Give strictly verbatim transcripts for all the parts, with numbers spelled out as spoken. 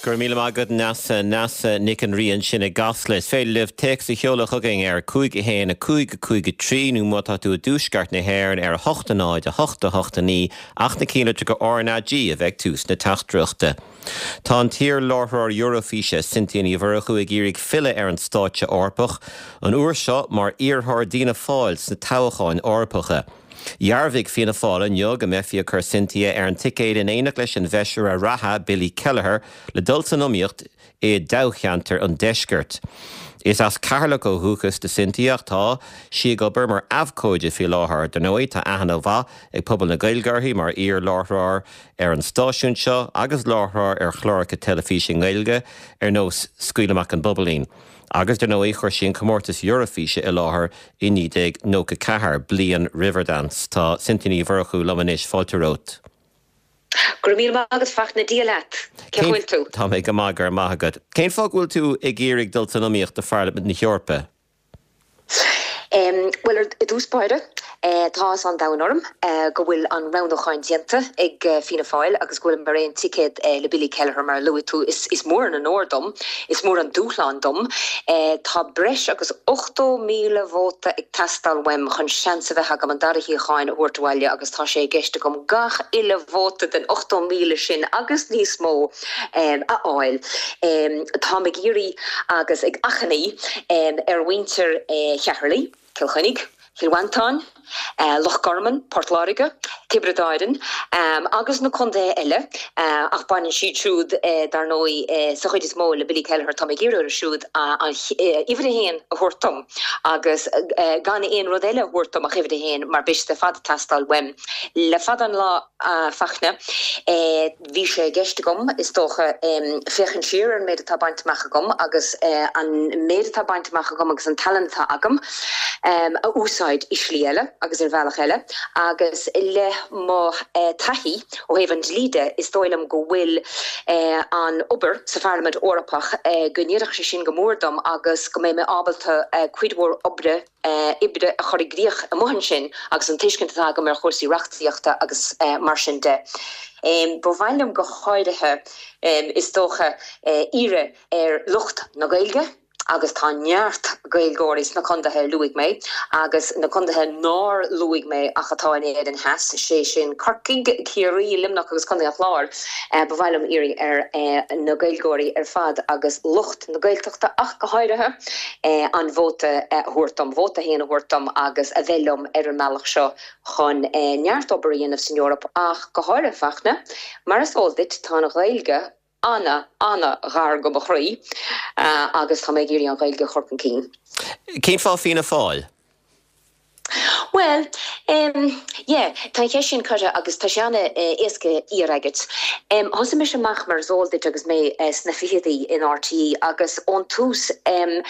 Gur mí agad Neasa Neasa Nic an Rí ansin i gCasla is féidir libh téacs a sheoladh chugainn ar cúig a haon a cúig a cúig a trí nó má tá tú i dtuaisceart na hÉireann ar a hocht a náid a hocht a hocht a naoi ach na ceannlitreacha RnaG a bheith ag tús na teachtaireachta. Tá an t-iar-láithreoir Eurofíse Cynthia Ní Mhurchú ag iarraidh filleadh ar an stáitse Eorpach an uair seo mar iarrthóir d'Fhianna Fáil sna toghcháin Eorpacha. Dhearbhaigh Fianna Fáil inniu go mbeifí ag cur Cynthia ar an ticéad in éineacht leis an bhfeisire reatha Billy Kelleher le dul san iomaíocht i dtoghcheantar an deiscirt. Is as Ceatharlach ó dhúchas do Cynthia tá sí ag obair mar abhcóide faoi láthair dar ndóigh tá aithne mhaith ag pobal na Gaeilge uirthi mar iar-láithreoir ar an stáisiún seo agus láithreoir ar chláracha teilifíse Gaeilge ar nós Scaoil Amach an Bobailín. Agus dar ndóigh chuir sí an comórtas Eurofíse i láthair i naoi déag nócha ceathair bliain Riverdance tá Cynthia Ní Mhurchú liom anois fáilte romhat. Gur mí agus Fachtna Dia leat cén chaoi a bhfuil tú. Tá mé go maith go maith agat. Cén fáth go bhfuil tú ag iarraidh dul san iomaíocht do Pharlaimint na hEorpa? Um, well i dtús báire eh, tá áthas an domhain orm eh, go bhfuil an roghnúchán déanta ag eh, Fianna Fáil agus go bhfuil mé ar aon ticéad eh, le Billy Kelleher mar luaigh tú is, is mór an onóir dom, is mór an dúshlán dom. Eh, tá breis agus ochtó míle vóta ag teastáil uaim chun seans a bheith agam an dara shuíochán a thabhairt abhaile agus tá sé i gceist agam gach uile vóta den ochtó míle sin agus níos mó um, a fháil. Um, tá ag iarraidh agus ag achainí um, ar mhuintir eh, Cheatharlach, Cill Chainnigh, Chill Mhantáin, uh, Loch Garman, Port Láirge, Tiobraid Árann, um, agus na contaetha eile uh, ach baineann siad siúd uh, dar ndóigh uh, sa chuid is mó le Billy Kelleher tá ag iarraidh siúd uh, an uimhir a haon a thabhairt dom agus uh, gan aon rud eile a thabhairt dom ach uimhir a haon mar b'shin ar fad atá ag teastáil uaim. Le fada an lá uh, Fachtna uh, bhí sé i gceist agam is dócha um, féachaint siar an méid atá bainte amach agam agus uh, an méid atá bainte amach agam agus an tallann atá agam um, a úsáid i slí eile agus ar bhealach eile agus le mo uh, taithí ó thaobh an dlí de is dóigh liom go bhfuil uh, an obair sa Pharlaimint Eorpach uh, go n-oirfeadh sé sin go mór dom agus go mbeidh mé ábalta uh, cuid mhór oibre uh, oibre a chur i gcrích amuigh ansin agus an tuiscint atá agam ar chúrsaí reachtaíochta agus uh, mar sin de. Um, Ba mhaith liom go háirithe um, is dócha uh, iarraidh ar lucht na Gaeilge, agus tá neart Gaeilgeoirí sna contaetha a luaigh mé, agus na contaetha nár luaigh mé ach atá in Éirinn Theas sé sin Corcaigh Ciarraí Luimneach agus Contae an Chláir eh, ba mhaith liom iarraidh ar eh, na Gaeilgeoirí ar fad agus lucht na Gaeltachta ach go háirithe eh, an vóta eh, thabhairt dom vóta a haon a thabhairt dom agus a bheith liom ar an mbealach seo chun eh, neart obair a dhéanamh san Eoraip ach go háirithe Fachtna, mar is eol duit tá an Ghaeilge ana ana ghar do mo chroí uh, agus tá mé ag iarraidh an Ghaeilge a chur chun cinn. Cén fáth Fianna Fáil? Well, um, yeah, tá sé sin curtha agus tá sé an-éasca a fhreagairt. Um, Thosaigh mise amach mar is eol duit agus mé uh, sna fichidí in RTÉ agus ón tús um,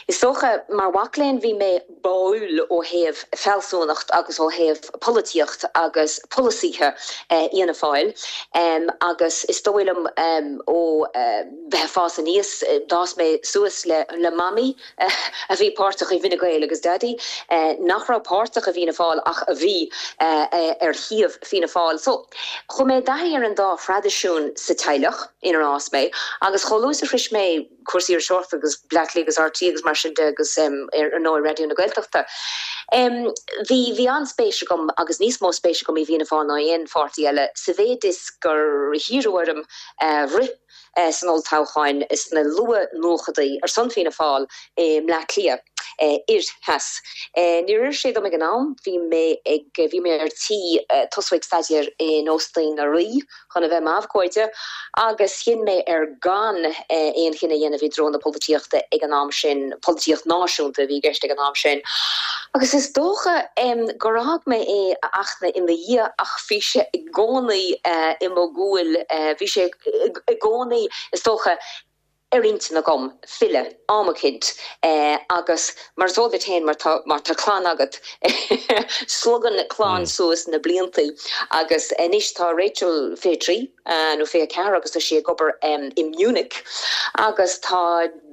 is dócha mar mhac léinn bhí mé báúil ó thaobh fealsúnacht agus ó thaobh polaitíocht agus polasaithe uh, Fhianna Fáil um, agus is dóigh liom um, ó uh, bheith ag fás aníos d'fhás mé suas le le mamaí uh, a bhí páirteach i bhFine Gael agus daidí uh, nach raibh páirteach i bhFianna Fáil ach a bhí uh, uh, ar thaobh Fianna Fáil. So chuaigh mé i dtaithí ar an dá thraidisiún sa teaghlach inar fhás mé, agus chomh luath is a shroich mé cúrsaí iriseoireachta agus Black agus RTÉ agus mar sin de agus um, ar ar ndóigh Raidió na Gaeltachta. Um, bhí bhí an-spéis agam agus níos mó spéis agam i bhFianna Fáil ná aon pháirtí eile sa mhéid is gur hiarradh orm uh, rith uh, san olltoghchán sna luath-nóchaidí ar son Fianna Fáil i mBleá Cliath. Uh, ir has. Uh, Ní raibh sé dom ag an am, bhí mé ag bhí mé ar tí uh, tosú ag staidéar in Óstán an Rí chun a bheith i m'abhcóide agus chinn mé ar gan uh, aon chinneadh a dhéanamh i dtreo na polaitíochta ag an am sin polaitíocht náisiúnta bhí i gceist ag an am sin. Agus is dócha um, gur fhág mé é a Fhachtna i mo dhiaidh ach bhí sé i gcónaí uh, i mo ghuail uh, bhí sé i gcónaí is dócha ar intinn agam filleadh am éicint eh, agus mar is eol duit féin mar tá mar tá clann agat slogann clann mm. suas na blianta agus anois tá Rachel fiche trí uh, nó fiche ceathair agus tá sí ag obair um, i Munich agus tá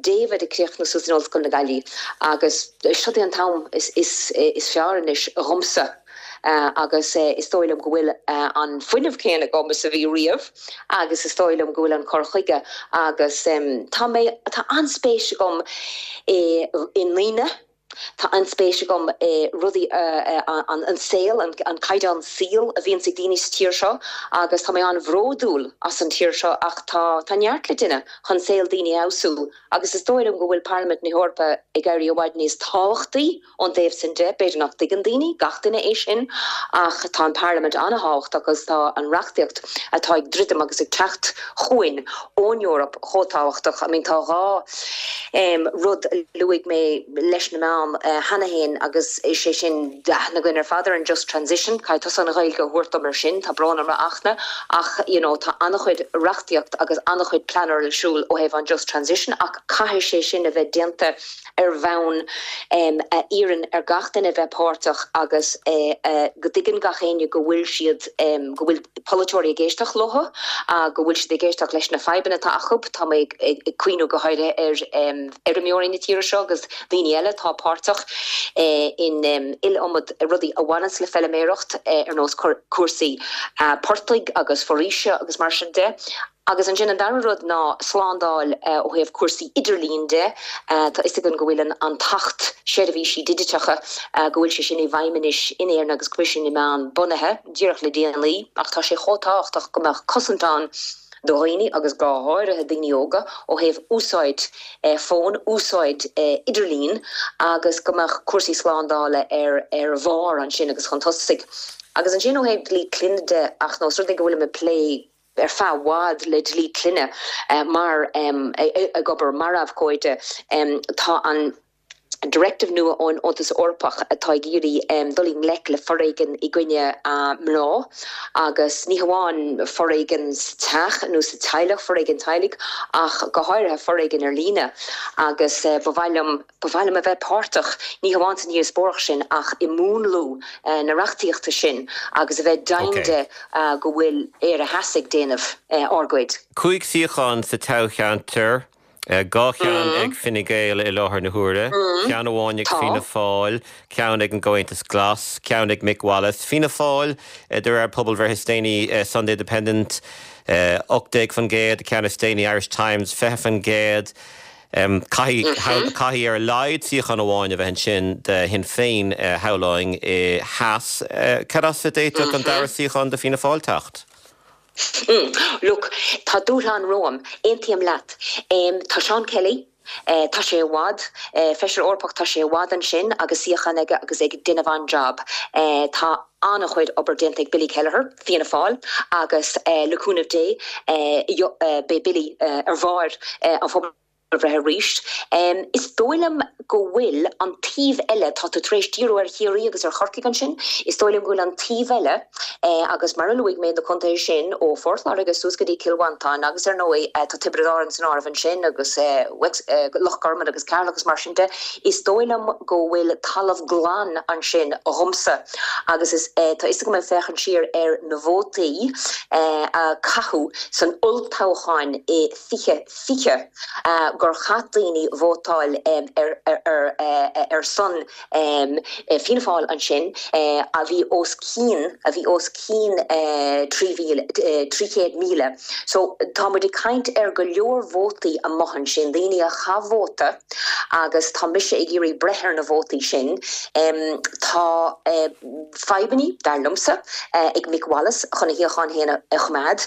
David ag críochnú suas in Ollscoil na Gaillimhe agus seo an t-am is, is, is fearr anois dhomsa. Agus is dóigh liom go bhfuil an fuinneamh céanna agam is a bhí riamh agus is dóigh liom go bhfuil an cur chuige agus tá mé tá an-spéis agam i i ndaoine, tá an-spéis agam i rudaí an saol, an caighdeán saoil a bhíonns ag daoine sa tír seo agus tá mé an-bhródúil as an tír seo ach tá tá neart le déanamh chun saol daoine a fheabhsú agus is dóigh liom go bhfuil Parlaimint na hEorpa ag éirí i bhfad níos tábhachtaí ón dtaobh sin de, b'fhéidir nach dtuigeann daoine, gach duine é sin, ach tá an Parlaimint an-thábhachtach agus tá an reachtaíocht atá ag druidim agus ag teacht chugainn ón Eoraip chomh tábhachtach. I mean tá dhá rud a luaigh mé leis na meáin cheana féin agus is é sin aithne againn ar fad ar an Just Transition, caithfidh tusa an Ghaeilge a thabhairt dom ar sin, tá brón orm a Fhachtna, ach you know tá an-chuid reachtaíocht agus an-chuid pleanáil ar siúl ó thaobh an Just Transition ach caithfidh sé sin a bheith déanta ar bhonn a iarrann ar gach duine bheith páirteach agus go dtuigeann gach éinne go bhfuil siad, go bhfuil polaiteoirí ag éisteacht leo, go bhfuil siad ag éisteacht leis na fadhbanna atá acu. Tá mé ag cuimhniú go háirithe ar fheirmeoirí na tíre seo agus daoine eile atá páirteach in iliomad rudaí a bhaineanns le feilméaracht ar nós cúrsaí portaigh agus foraoise agus mar sin de. Agus ansin an dara rud ná slándáil ó thaobh cúrsaí idirlín de. Tá fhios againn go bhfuil an tAcht Seirbhísí Digiteacha, go bhfuil sé sin i bhfeidhm anois in Éirinn agus Coimisiún na Meán bunaithe díreach le déanaí ach tá sé chomh tábhachtach go mbeadh cosaint ann do dhaoine agus go háirithe daoine óga ó thaobh úsáid fóin, úsáid idirlín agus go mbeadh cúrsaí slándála ar ar bharr ansin agus chun tosaigh. Agus ansin ó thaobh dlí clainne de ach nó is rud é go bhfuilim ag plé ar feadh i bhfad le dlí clainne mar ag obair mar abhcóide. Tá an Directive nua ón Aontas Eorpach atá ag iarraidh dul i ngleic le foréigean i gcoinne mná agus ní hamháin foréigean sa teach nó sa teaghlach, foréigean teaghlaigh, ach go háirithe foréigean ar líne agus ba mhaith liom ba mhaith liom a bheith páirteach ní hamháin sa ndíospóireacht sin ach i múnlú na reachtaíochta sin agus a bheith deimhin de go bhfuil Éire Theas ag déanamh ár gcuid. Cúig suíochán sa toghcheantar, dhá cheann ag Fine Gael i láthair na huaire, ceann amháin ag Fianna Fáil, ceann ag an gComhaontas Glas, ceann ag Mick Wallace. Fianna Fáil, de réir pobalbhreith is déanaí Sunday Independent, ocht déag faoin gcéad, ceann is déanaí Irish Times, fiche faoin gcéad. Caithfidh caithfidh ar a laghad suíochán amháin a bheith ansin do Shinn Féin shamhlóinn i Theas. Cad as a d'fhéadfadh an dara suíochán do Fianna Fáil teacht? Look, tá dúshlán romham, aontaím leat. Tá Seán Kelly, tá sé i bhfad, Feisire Eorpach, tá sé i bhfad ansin agus suíochán aige agus ag déanamh an-jab. Tá an-chuid obair déanta ag Billy Kelleher, Fianna Fáil, agus le cúnamh Dé beidh Billy ar bharr an phobalbhreithe arís. Is dóigh liom go bhfuil an taobh eile, tá tú tar éis díriú ar Chiarraí agus ar Chorcaigh ansin, is dóigh liom go bhfuil an taobh eile, agus mar a luaigh mé na contaetha sin ó Phort Láirge suas go dtí Cill Mhantáin agus ar ndóigh tá Tiobraid Árann san áireamh ansin agus Loch Garman agus Ceatharlach agus mar sin de, is dóigh liom go bhfuil talamh glan ansin dhomsa agus is tá fhios agam ag féachaint siar ar na vótaí a caitheadh san olltoghchán i fiche fiche gur chaith daoine vótáil ar son Fianna Fáil ansin a bhí os cionn a bhí os cionn trí mhíle trí chéad míle. So tá muid ag caint ar go leor vótaí amuigh ansin, daoine a chaith vóta agus tá mise ag iarraidh breith ar na vótaí sin. Tá fadhbanna, dar liomsa, ag Mick Wallace chun a shuíochán féin a choimeád.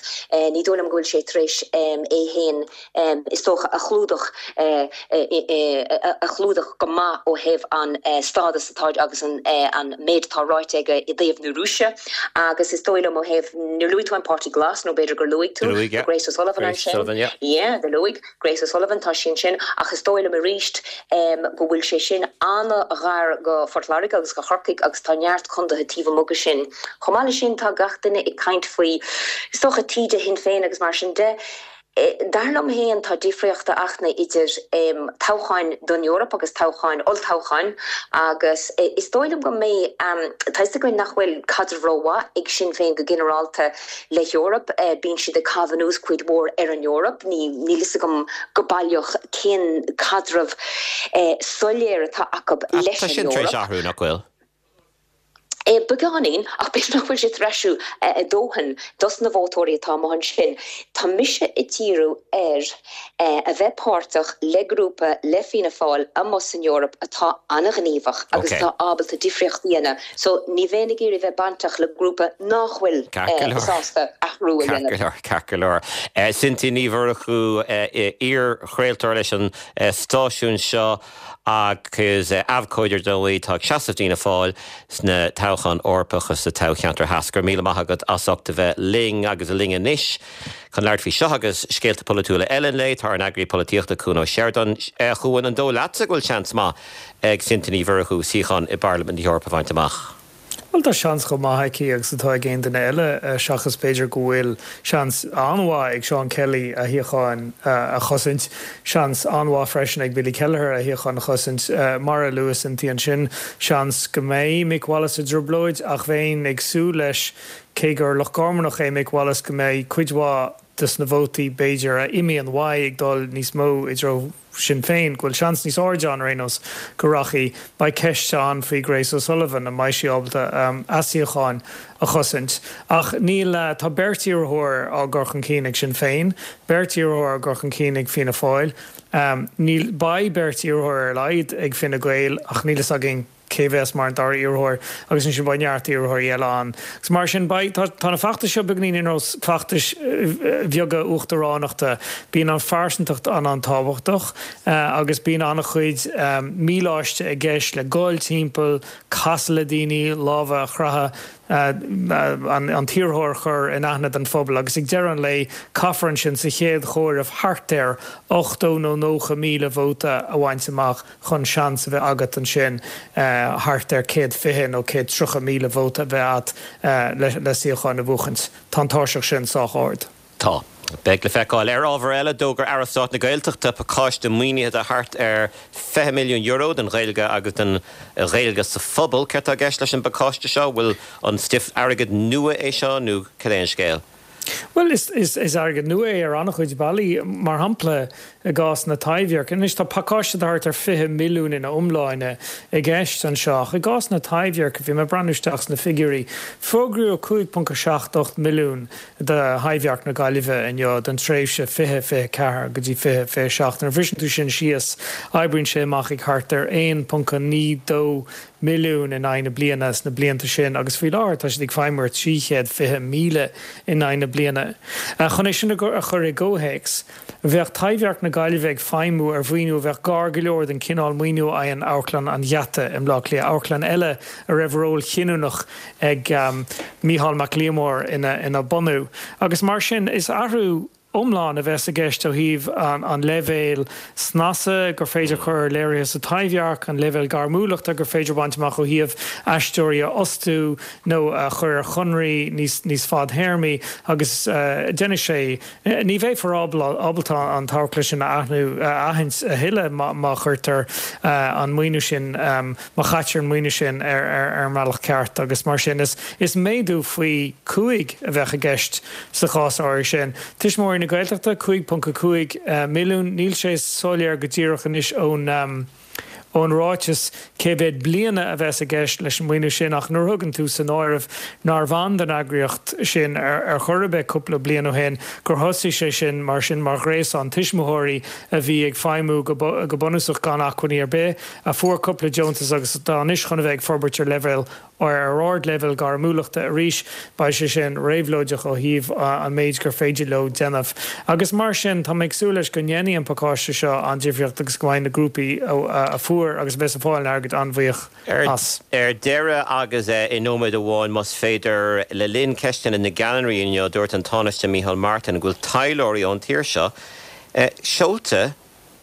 Ní dóigh liom go bhfuil sé tar éis é féin is dócha a chlúdach a chlúdach go maith ó thaobh an stádas atá agus an an méid atá ráite aige i dtaobh na Rúise agus is dóigh liom ó thaobh níor luaigh tú an Páirtí Glas nó b'fhéidir gur luaigh tú Grace O'Sullivan ansin. Yeah, do luaigh Grace O'Sullivan tá sí ansin ach is dóigh liom arís go bhfuil sé sin an-ghar go Phort Láirge agus go Chorcaigh agus tá neart contaetha taobh amuigh de sin. Chomh maith leis sin tá gach duine ag caint faoi is dócha taoide Shinn Féin agus mar sin de. Dar liom féin tá difríocht ann idir toghcháin don Eoraip agus toghcháin olltoghcháin agus is dóigh liom go mbeidh tá fhios againn nach bhfuil caidreamh rómhaith ag Sinn Féin go ginearálta le hEoraip. Bíonn siad ag caitheamh anuas cuid mhór ar an Eoraip. Ní níl fhios agam go baileach cén caidreamh soiléir atá acu leis an Eoraip. Tá sin tar éis athrú nach bhfuil? Beagáinín, ach b'fhéidir nach bhfuil sé tar éis a dóthain dos na vótóirí atá amuigh ansin. Tá mise ag díriú ar a bheith páirteach le grúpa le Fianna Fáil amuigh san Eoraip atá an-ghníomhach agus atá ábalta difríocht a dhéanamh. So ní bheinn ag iarraidh bheith bainteach le grúpa nach bhfuil sásta athrú a dhéanamh. Ceart go leor. Cynthia Ní Mhurchú, iar-chraoltóir leis an stáisiún seo agus abhcóide ar ndóigh, tá ag seasamh d'Fhianna Fáil sna toghcháin Eorpacha sa toghcheantar theas. Go raibh míle maith agat as ucht a bheith linn agus linn anois chun labhairt faoi seo agus scéalta polaitiúla eile an lae, tá ár n-eagraí polaitíochta Cuan Ó Seireadáin. A Chuain, an dóigh leatsa go bhfuil seans maith ag Cynthia Ní Mhurchú suíochán i bParlaimint na hEorpa a bhaint amach? Bhuel, tá seans chomh maith aici agus atá ag aon duine eile, seachas b'fhéidir go bhfuil seans an-mhaith ag Seán Kelly a shuíochán a chosaint, seans an-mhaith freisin ag Billy Kelleher a shuíochán a chosaint. Mar a luaigh Cynthia ansin, seans go mbeidh Mick Wallace i dtrioblóid ach bheinn ag súil leis, cé gur Loch Garmanach é Mick Wallace, go mbeidh cuid mhaith de na vótaí b'fhéidir a imíonn uaidh ag dul níos mó i dtreo Sinn Féin, go bhfuil seans níos airde ann ar aon nós go rachaidh. Beidh ceist ann faoi Grace O'Sullivan, an mbeidh sí ábalta a suíochán a chosaint. Ach níl, tá beirt iarrthóir á gcur chun cinn ag Sinn Féin, beirt iarrthóir á gcur chun cinn ag Fianna Fáil. Níl, beidh beirt iarrthóir ar a laghad ag Fine Gael ach níl fhios againn cé bheas mar an dara iarrthóir agus ansin beidh neart iarrthóirí eile ann. Agus mar sin, beidh, tá, tá na feachtais seo beagainín ar nós feachtais bheaga uachtaránachta. Bíonn an phearsantacht an-an-tábhachtach agus bíonn an-chuid míleáiste i gceist le dhul timpeall, casadh le daoine, lámha a chroitheadh, an, an t-iarrthóir a chur in aithne don phobal agus ag deireadh an lae caithfear ansin sa chéad chomhaireamh thart ar ochtó nó nócha míle vóta a bhaint amach chun seans a bheith agat ansin thart ar céad fiche nó céad tríocha míle vóta a bheith agat le suíochán a bhuachaint. Tá an tairseach sin sách ard. Tá. Beidh le feiceáil. Ar ábhar eile, d'fhógair Aire Stáit na Gaeltachta pacáiste maoinithe de thart ar fiche milliún euro don Ghaeilge agus don Ghaeilge sa phobal. Céard atá i gceist leis an bpacáiste seo? Bhfuil an stuif airgead nua é seo nó cad é an scéal? Bhuel, is, is, is airgead nua é ar an-chuid bealaí. Mar shampla, i gcás na Taibhdheirce, anois tá pacáiste de thart ar fiche milliún ina iomláine i gceist anseo, ach i gcás na Taibhdheirce, bhí mé ag breathnú isteach sna figiúirí, fógraíodh cúig ponc a seacht ocht milliún do Thaibhdhearc na Gaillimhe inniu don tréimhse fiche fiche ceathair go dtí fiche fiche seacht. Nuair a bhriseann tú sin síos, oibríonn sé amach ag thart ar aon ponc a naoi dó milliún in aghaidh na bliana sna blianta sin agus faoi láthair tá siad ag feidhmiú ar trí chéad fiche míle in aghaidh na bliana. Chun é sin a chur i gcomhthéacs, bheadh Taibhdhearc na Gaillimhe ag feidhmiú ar mhaoiniú a bheadh gar go leor don chineál maoiniú a fhaigheann Amharclann an Gheata i mBleá Cliath, amharclann eile a raibh ról chinniúnach ag Mícheál Mac Liammóir ina bunú. Agus mar sin, is athrú iomlán a bheas i gceist ó thaobh an leibhéil snasa gur féidir cur ar léirithe sa Taibhdhearc, an leibhéal gairmiúlachta gur féidir baint amach ó thaobh aisteoirí a fhostú nó a chur ar chonraí níos níos fadthéarmaí agus déanfaidh sé, ní bheifear ábalta an t-amharclann sin a athnú, a aithint a thuilleadh má chuirtear an maoiniú sin, má chaitear an maoiniú sin ar ar an mbealach ceart agus mar sin is is méadú faoi chúig a bheadh i gceist sa chás áirithe sin. Tuismitheoirí na Gaeltachta, cúig ponc a cúig milliún. Níl sé soiléir go díreach anois ón ón ráiteas cé mhéad bliana a bheas i gceist leis an maoiniú sin ach nuair a thugann tú san áireamh nárbh ann don eagraíocht sin ar chor ar bith cúpla bliain ó shin, gur thosaigh sé sin mar sin mar ghréasán tuismitheoirí a bhí ag feidhmiú go bunúsach gan acmhainní ar bith, a fuair cúpla deontas agus atá anois chun a bheith ag forbairt ar leibhéal ar ardleibhéal gairmiúlachta arís, beidh sé sin réabhlóideach ó thaobh an méid gur féidir leo déanamh. Agus mar sin, tá mé ag súil leis go ndéanfaidh an pacáiste seo an-difríocht agus go mbeidh na grúpaí a fuair agus a bheas ag fáil an airgid an-bhuíoch as. Ar deireadh, agus i nóiméad amháin más féidir, le linn Ceisteanna na gCeannairí inniu, dúirt an Tánaiste Micheál Martin go bhfuil taidhleoirí ón tír seo seolta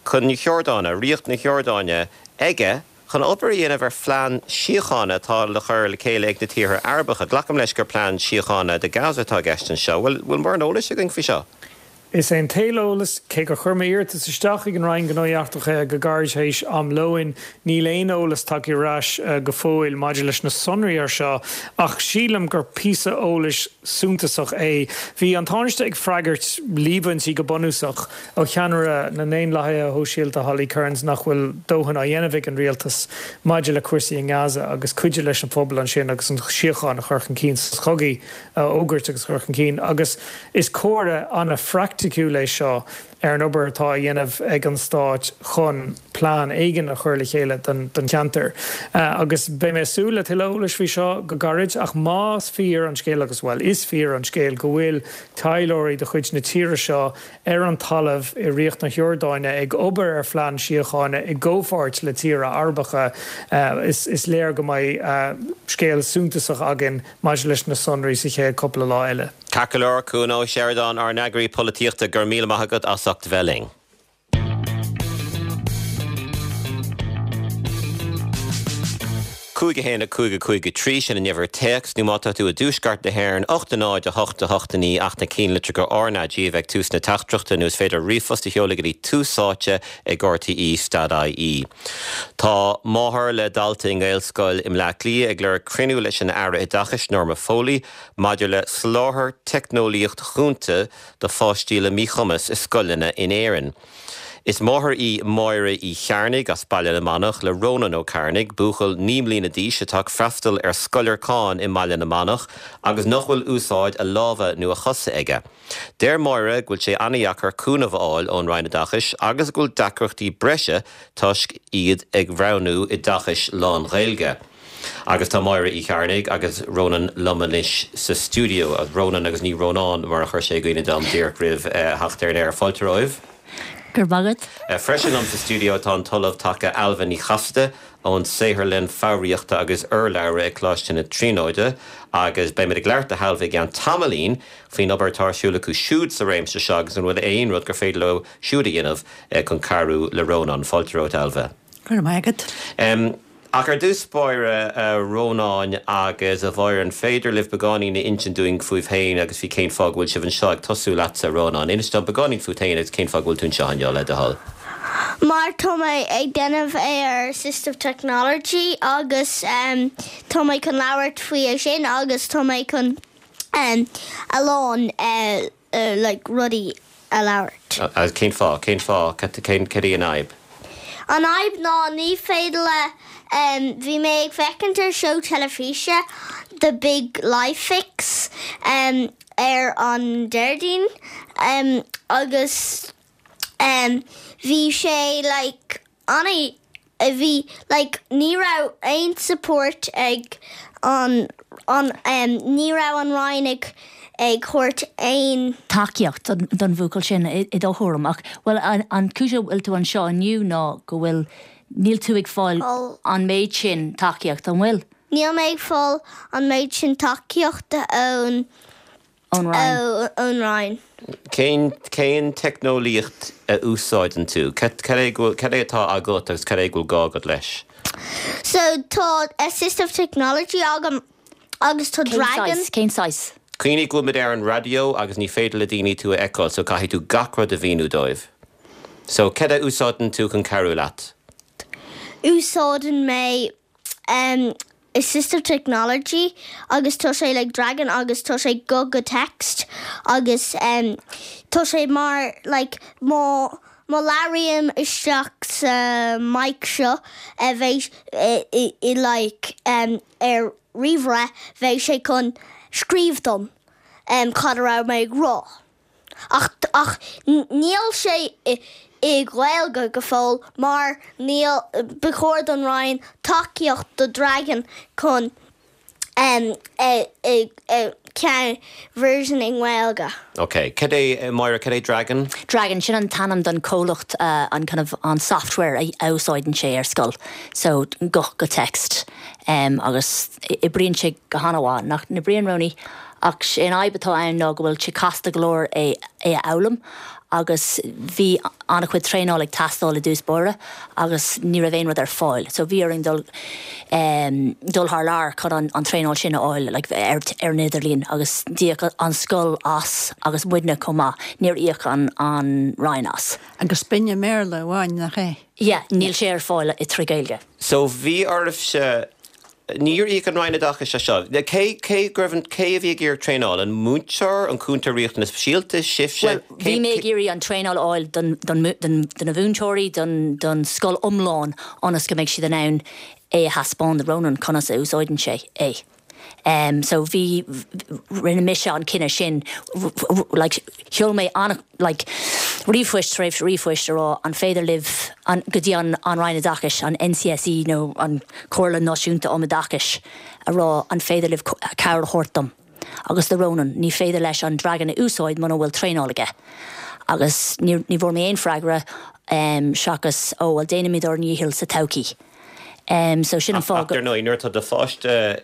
chun na hIordáine, Ríocht na hIordáine, aige chun obair a dhéanamh ar phlean síochána atá le cur le chéile ag na tíortha Arabacha. Glacaim leis gur plean síochána do Gaza atá i gceist anseo. Bhfuil mórán eolais againn faoi seo? Is é an t-eolas, cé gur chuir mé iarratas isteach ag an Roinn Gnóthaí Eachtracha go gairid tar éis am lóin, níl aon eolas tagtha ar ais go fóill maidir leis na sonraí ar seo, ach sílim gur píosa eolais suntasach é. Bhí an Tánaiste ag freagairt líomhaintí go bunúsach ó cheannaire na nDaonlathaithe Shóisialta Holly Cairns nach bhfuil dóthain á dhéanamh ag an rialtas maidir le cúrsaí i nGaza agus cuidiú leis an phobal ansin agus an síocháin a chur chun cinn, sos cogaidh a fhógairt agus a chur chun cinn agus is comhartha an-phraiticiúil é seo ar an obair atá á dhéanamh ag an Stát chun plean éigin a chur le chéile don cheantar. Agus beidh mé ag súil le tuilleadh eolais faoi seo go gairid ach más fíor an scéal agus, bhuel, is fíor an scéal go bhfuil taidhleoirí de chuid na tíre seo ar an talamh i Ríocht na hIordáine ag obair ar phlean síochána i gcomhpháirt le tíortha Arabacha, is léir go mbeidh scéal suntasach againn maidir leis na sonraí sa chéad cúpla lá eile. Ceart go leor, Cuan Ó Seireadáin, ár n-eagraí polaitíochta, go raibh míle maith agat as ucht a bheith linn. Cúig a haon a cúig a cúig a trí, sin an uimhir téacs, nó má tá tú i dtuaisceart na hÉireann, ocht a náid a hocht a hocht a naoi ach na ceannlitreacha RnaG a bheith ag tús na teachtaireachta, nó is féidir ríomhphost a sheoladh go dtí túsáite ag rte dot ie. Tá máthair le dalta i nGaelscoil i mBleá Cliath ag lorg cruinniú leis an Aire Oideachais Norma Foley maidir le soláthar teicneolaíocht chúnta do pháistí le míchumas i scoileanna in Éirinn. Is máthair í Máire Uí Chearnaigh as Baile na Manach le Rónán Ó Cearnaigh, buachaill naoi mbliana d'aois atá ag freastal ar Scoil Lorcáin i mBaile na Manach agus nach bhfuil úsáid a lámha nó a chosa aige. Deir Máire go bhfuil sé an-dheacair cúnamh a fháil ón Roinn Oideachais agus go bhfuil deacrachtaí breise toisc iad ag roghnú oideachais lán-Ghaeilge. Agus tá Máire Uí Chearnaigh agus Rónán liom anois sa stiúideo, Rónán agus ní Rónán mar a chuir sé i gcuimhne dom díreach roimh theacht ar an aer. Fáilte romhaibh. Go raibh maith agat. Freisin liom sa stiúideo tá an tOllamh Taca Ailbhe Ní Chasaide ón Saotharlann Foghraíochta agus Urlabhra ag Coláiste na Tríonóide agus beimid ag labhairt le hAilbhe i gceann tamaillín faoin obair atá ar siúl acu siúd sa réimse seo agus an bhfuil aon rud gur féidir leo siúd a dhéanamh chun cabhrú le Rónán. Fáilte romhat Ailbhe. Go raibh maith agat. Ach ar dtús báire, a Rónáin agus a Mháire, an féidir libh beagáinín a insint dúinn fúibh féin agus faoi cén fáth go bhfuil sibh anseo? Ag tosú leatsa, a Rónáin. Inis dom beagáinín fút féin agus cén fáth go bhfuil tú anseo inniu, le do thoil. Mar tá mé ag déanamh ar Assistive Technology agus tá mé chun labhairt faoi é sin agus tá mé chun a lán like rudaí a labhairt. Agus cén fáth? Cén fáth? Cén, cad í an fhadhb? An fhadhb ná ní féidir le, bhí mé ag féachaint ar seó teilifíse The Big Life Fix ar an Déardaoin agus bhí sé like ana, bhí like ní raibh aon support ag an an ní raibh an Roinn ag ag thabhairt aon. tacaíocht don bhuachaill sin i do thuairim. Ach bhuel an chúis a bhfuil tú anseo inniu ná go bhfuil, níl tú ag fáil an méid sin tacaíocht, an bhfuil? Níl mé ag fáil an méid sin tacaíochta ón ón Roinn. ón Roinn. Cén cén teicneolaíocht a úsáideann tú? Cad é go bhfuil, cad é atá agat agus cad é go bhfuil gá agat leis? So tá assistive technology agam agus tá Cén Dragon. saghas? Cén saghas? Cuimhnigh go bhfuil muid ar an raidió agus ní féidir le daoine tú a fheiceáil so caithfidh tú gach rud a mhíniú dóibh. So cad a úsáideann tú chun cabhrú leat? Úsáideann mé um, assistive technology agus tá sé like Dragon agus tá sé guth go text agus um, tá sé mar like má má labhraím isteach sa mic seo eh, bheidh eh, i, i like um, ar ríomhaire bheidh sé chun scríobh dom um, cad a raibh mé ag rá. Ach, ach níl sé i, i Gaeilge go fóill mar níl ba chóir don Roinn tacaíocht do Dragon chun um, e, e, e, ceann version i nGaeilge. Ok, cad é, Máire, cad é Dragon? Dragon, sin an t-ainm don comhlacht uh, an kind of an software a a úsáideann sé ar scoil. So guth go text. Um, agus oibríonn sé go han-mhaith nach n-oibríonn Rónaí Ach sé an fhadhb atá ann ná go bhfuil sé casta go leor é é a fhoghlaim agus bhí an-chuid traenáil ag teastáil i dtús báire agus ní raibh aon rud ar fáil. So bhí orainn dul um, dul thar lear chun an, an traenáil sin a fháil like, ar, ar an idirlíon agus d'íoc an scoil as agus muidne chomh maith níor íoc an, an Roinn as. Agus b'in i mBéarla amháin nach é. Yeah, níl sé ar fáil i trí Gaeilge. So bhí oraibhse níor íoc an Roinn Oideachais as seo. Cé cé go raibh cé a bhí ag iarraidh traenáil an múinteoir an cúntóir riachtanas speisialta sibhse Well, bhí mé ag iarraidh an traenáil a fháil don, don, don, don na múinteoirí don, don scoil iomlán ionas go mbeidh siad in ann é a thaispeáint do Ronan conas a úsáideann sé é. Um, so bhí rinne mise an cinneadh sin like, sheol mé an like, ríomhphost tar éis ríomhphoist a rá an féidir libh an, go dtí an, an Roinn Oideachais an NCSE nó an Comhairle Náisiúnta um Oideachais a rá an féidir libh cabhair a thabhairt dom. Agus do Ronan ní féidir leis an Dragon a úsáid muna bhfuil traenáil aige. Agus ní, ní bhfuair mé aon freagra um, seachas ó well déanaimid ár ndícheall sa todhchaí. Um, so sin an fáth Ar ndóigh nuair atá do pháiste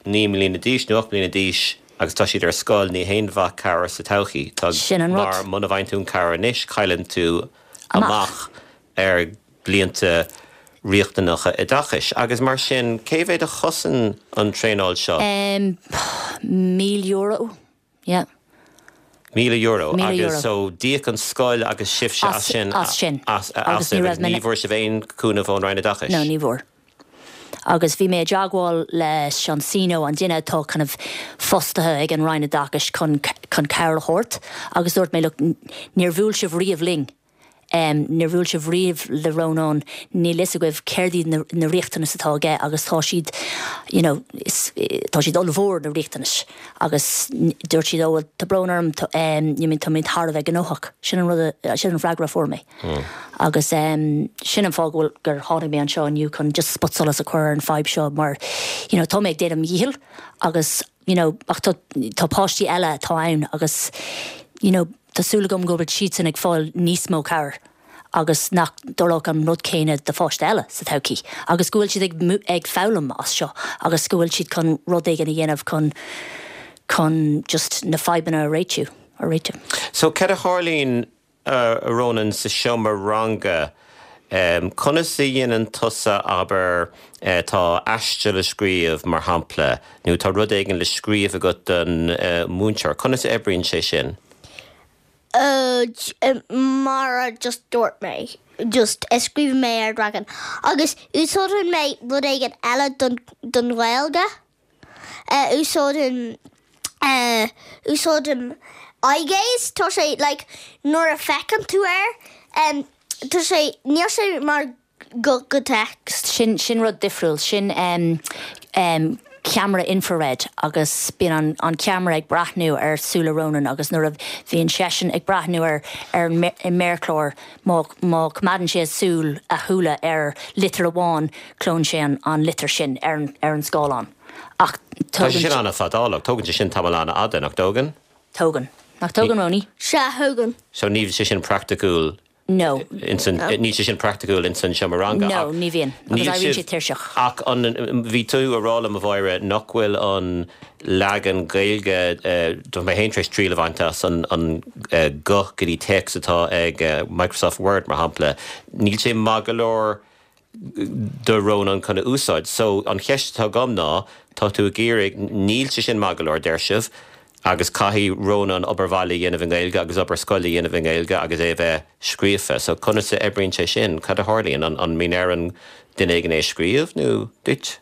naoi mbliana d'aois nó ocht mbliana d'aois agus tá siad ar scoil ní haon mhaith cabhair sa todhchaí. Tá Sin an rud. Mar muna bhfaigheann tú an cabhair anois cailleann tú Amach. amach ar blianta riachtanacha oideachais. Agus mar sin cé mhéad a chosain an traenáil seo? Um, míle euro. Yeah. Míle euro Míle agus euro. so d'íoc an scoil agus sibhse as As- sin as sin. as, Agus as ní raibh ní mé- bhfuair sibh aon chúnamh ón Roinn Oideachais. No, ní bhfuair. Agus bhí mé i dteagmháil le Sean Sino an duine atá kind of fostaithe ag an Roinn Oideachais chun chun cabhair a thabhairt, agus dúirt mé look, níor bhuail sibh riamh linn. Um, níor bhuail sibh riamh le Rónán níl a fhios agaibh céard iad na, na riachtanais atá aige agus tá siad you know, is, tá siad ollmhór na riachtanais agus n- dúirt siad ó tá brón orm um, tá mé thar a bheith gnóthach sin an rud a- sin an freagra a fuair mé. Mm. Agus um, sin an fáth go bhfuil gur tháinig mé anseo inniu chun just spotsolas a chur ar an fadhb seo mar you know, tá mé ag déanamh mo dhícheall agus you know, ach tá, tá páistí eile atá ann agus you know, tá súil agam go bhfuil siadsan ag fáil níos mó cabhair agus nach dtarlódh an rud céanna do pháiste eile sa todhchaí. Agus go bhfuil siad ag, mu- ag foghlaim as seo agus go bhfuil siad chun rud éigin a dhéanamh chun chun just na fadhbanna a réitiú a réitiú. So cad a tharlaíonn uh, Ronan sa seomra ranga um, conas a dhéanann tusa abair uh, tá aiste le scríobh mar shampla, nó tá rud éigin le scríobh agat don uh, múinteoir, conas a oibríonn sé sin? Uh, j- uh, mar a just dúirt mé. Just scríobh mé ar Dragon. Agus úsáideann mé rud éigin eile don, don Ghaeilge. Uh, úsáideann uh, úsáideann eye gaze tá sé like nuair a fheiceann tú air um, tá sé níl sé mar go go text. Sin sin rud difriúil sin um, um, ceamara infrared agus bíonn an, an ceamara ag breathnú ar súile Ronan agus nuair a bhíonn seisean ag breathnú ar ar an méarchlár má má choimeádann sé súil a shúile ar litir amháin clónn sé an, an litir sin ar, an- ar an scáileán. Ach Tá sé tógann sin an-fhadálach, tógann sé sin tamall an-fhada nach dtógann? tógann. Nach dtógann Roni? Sea tógann. So níl sé sin praiticiúil No. in níl sé sin praiticiúil in san seomra ranga. No, ach ní bhíonn. Agus níl éiríonn sibh- sé tuirseach. Ach an bhí tú ag rá liom a Mháire nach bhfuil an leagan Gaeilge do mé féin tar éis triail a bhaint as an an eh, guth go dtí téacs atá ag eh, Microsoft Word mar shampla. Níl sé maith go leor do Ronan chun a úsáid. So an cheist atá agam ná tá tú ag iarraidh níl sé sin maith go leor deir sibh, agus caithfidh Ronan obair bhaile a dhéanamh i nGaeilge agus obair scoile a dhéanamh i nGaeilge agus é bheith scríofa. So conas a oibríonn sé sin cad a tharlaíonn an an mbíonn ar an duine éigin é scríobh nó duit?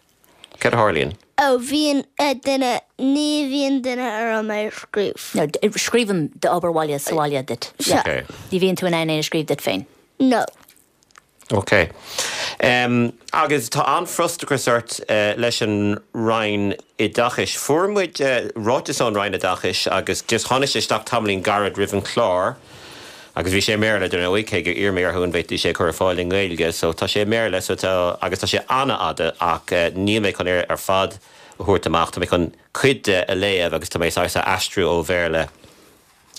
Cad a tharlaíonn? Ó bhíonn uh, duine ní bhíonn duine ar an mé scríobh. No, d- scríobhaim d'obair bhaile sa bhaile duit. Sea. Okay. Ní bhíonn tú in ann é a scríobh duit féin. No. Ok. Um, agus tá an-fhrustrachas ort uh, leis an Roinn Oideachais. Fuair muid uh, ráiteas ón Roinn Oideachais agus just tháinig sé isteach tamaillín gairid roimh an chlár. Agus bhí sé i mBéarla don cé gur iarr mé orthu an bhféadfaí sé chur ar fáil i nGaeilge, so tá sé i mBéarla so tá agus tá sé an-fhada ach uh, níl mé chun é ar fad a thabhairt amach, tá mé chun cuid de a léamh agus tá mé saghas á aistriú ó Bhéarla.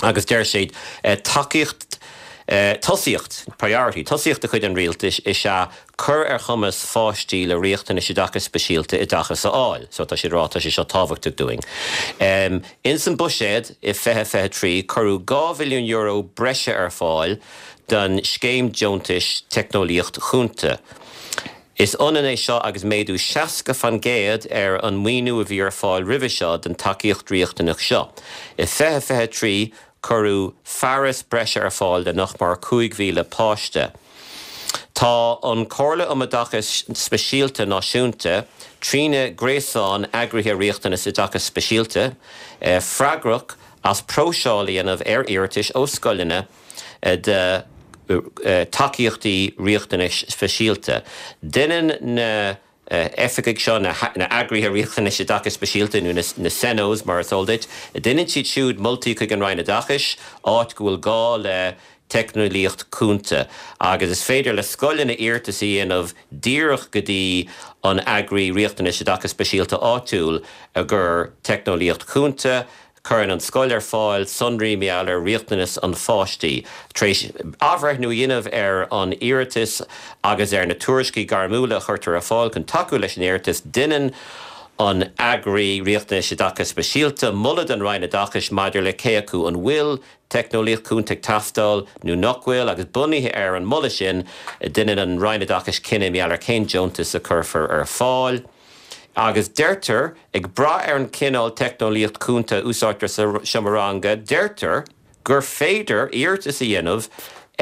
Agus deir siad eh, tacaíocht Tosaíocht, priority, tosaíocht de chuid an rialtais is ea cur ar chumas pháistí le riachtanais oideachais speisialta oideachas a fháil. So tá siad ag rá tá sé seo tábhachtach dúinn. Um, ins an buiséad i fiche fiche trí cuireadh dhá mhilliún euro breise ar fáil don scéim deontais teicneolaíocht chúnta. Is ionann é seo agus méadú seasca faoin gcéad ar an maoiniú a bhí ar fáil roimhe seo don tacaíocht riachtanach seo. I fiche fiche trí cuireadh fearas breise ar fáil do nach mór cúig mhíle páiste. Tá an Comhairle um Oideachas Speisialta Náisiúnta, trína gréasán eagraithe riachtanas oideachais speisialta, freagrach as próiseáil a dhéanamh ar iarratais ó scoileanna do tacaíochtaí riachtanais speisialta. Déanann na oifigigh seo, na heagraithe riachtanais oideachais speisialta nó na SENOs mar is eol duit, déanann siad siúd moltaí chuig an Roinn Oideachais, áit go bhfuil gá le teicneolaíocht chúnta agus is féidir le scoileanna iarratas a dhéanamh díreach go dtí an eagraí riachtanais oideachais speisialta áitiúil i gcomhair teicneolaíocht chúnta. Cuireann an scoil ar fáil sonraí mar gheall ar riachtanais an pháistí. Tar éis athbhreithniú a dhéanamh ar an iarratas agus ar na tuairiscí gairmiúla a chuirtear ar fáil chun tacú leis an iarratas, déanann an eagraí riachtanais oideachais speisialta moladh don Roinn Oideachais maidir le cé acu an bhfuil teicneolaíocht chúnta ag teastáil nó nach bhfuil agus bunaithe ar an moladh sin, déanann an Roinn Oideachais cinneadh mar gheall ar cén deontas a chuirfear ar fáil. Agus deirtear, ag brath ar an cineál teicneolaíocht chúnta a úsáidtear sa seomra ranga, deirtear gur féidir iarratas a dhéanamh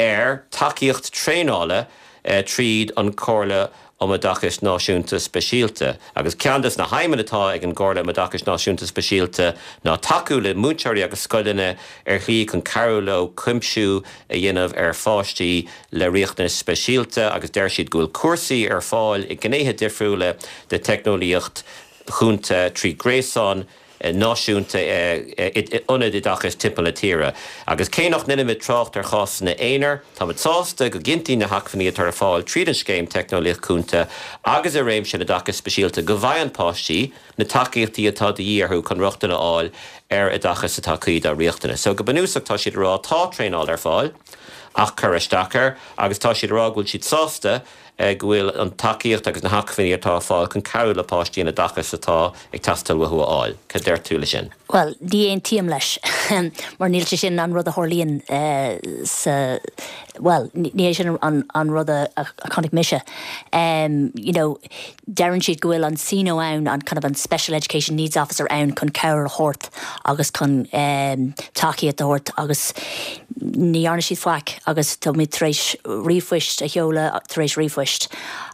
ar tacaíocht traenála tríd an Chomhairle um Oideachais Náisiúnta Speisialta. Agus ceann des na haidhmeanna atá ag an gComhairle um Oideachais Náisiúnta Speisialta ná tacú le múinteoirí agus scoileanna ar shlí chun cabhrú leo cuimsiú a dhéanamh ar pháistí le riachtanais speisialta agus deir siad go bhfuil cúrsaí ar fáil i ngnéithe difriúla de teicneolaíocht chúnta trí ghréasán náisiúnta ionad oideachais timpeall na tíre. Agus cé nach ndéanaimid trácht ar chásanna aonair, táimid sásta go gcinntíonn na hacmhainní atá ar fáil tríd an scéim Teicneolaíocht Chúnta agus i réimse an oideachais speisialta go bhfaigheann páistí na tacaíochtaí atá de dhíth orthu chun rochtain a fháil ar oideachas atá cuí dá riachtanais. So go bunúsach tá siad ag rá tá traenáil ar fáil ach cuir isteach air agus tá siad ag rá go bhfuil siad sásta go bhfuil an tacaíocht agus na hacmhainní atá ar fáil chun cabhrú le páistí an oideachas atá ag teastáil uathu a fháil. Cad deir tú leis sin? Bhuel, ní aontaím leis, mar níl sé sin an rud a tharlaíonn sa, bhuel, ní hé sin an an rud a chonaic mise. You know, deireann siad go bhfuil an SENO ann, an kind of an Special Education Needs Officer ann chun cabhair a thabhairt agus chun tacaíocht a thabhairt agus ní dhearna siad faic agus táimid tar éis ríomhphoist a sheoladh tar éis ríomhphoist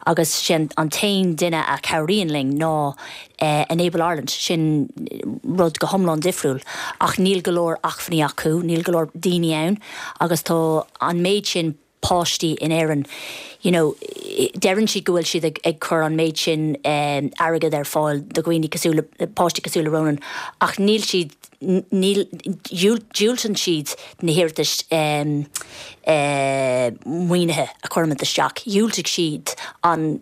agus sin an t-aon duine a chabhraíonn linn ná Enable Ireland, sin rud go hiomlán difriúil ach níl go leor acmhainní acu, níl go leor daoine ann agus tá an méid sin páistí in Éirinn you know, deireann siad go bhfuil siad ag, ag cur an méid sin um, airgead ar fáil do dhaoine cosúil le páistí cosúil le Ronan ach níl siad níl diúltaíonn siad na hiarratais um, uh, maoinithe a chuirimid isteach. Dhiúltaigh siad an,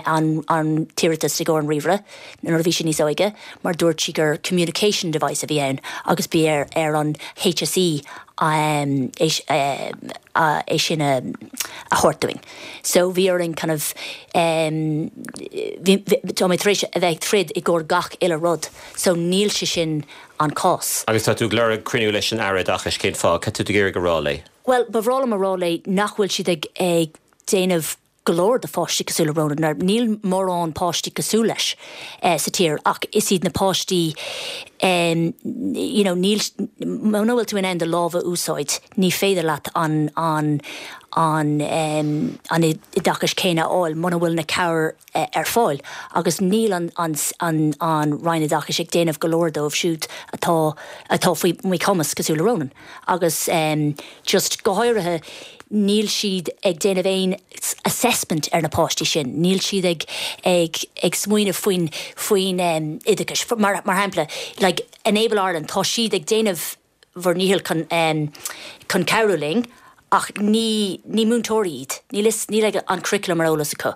an, an t-iarratas i gcomhair an ríomhaire nuair a bhí sé níos óige, mar dúirt sí gur communication device a bhí ann agus bhí ar, ar an HSE um, é, uh, é sin a, a thabhairt dúinn. So bhí orainn kind of um, tá mé tar éis a bheith troid i gcomhair gach uile rud, so níl sé sin an cás. Agus tá tú ag lorg cruinniú leis an Aire Oideachais cén fáth, cad tá tú ag iarraidh a rá léi? Well, ba bhreá liom a rá léi nach bhfuil siad ag, ag déanamh go leor do pháistí cosúil le Ronan, níl mórán páistí cosúil leis eh, sa tír ach is iad na páistí um, you know, níl muna bhfuil tú in ann do lámha a úsáid, ní féidir leat an an an um, an oideachas céanna a fháil muna bhfuil na cabhair uh, ar fáil agus níl an, an, an, an Roinn Oideachais ag déanamh go leor dóibh siúd atá atá faoi mhíchumas cosúil le Ronan agus um, just go háirithe níl siad ag déanamh aon assessment ar na páistí sin, níl siad ag ag ag smaoineamh faoin faoin um, oideachas mar mar shampla like Enable Ireland tá siad ag déanamh bhur ndícheall chun um, chun cabhrú linn ach ní ní múinteoirí iad, níl níl ag an curriculum ar eolas acu.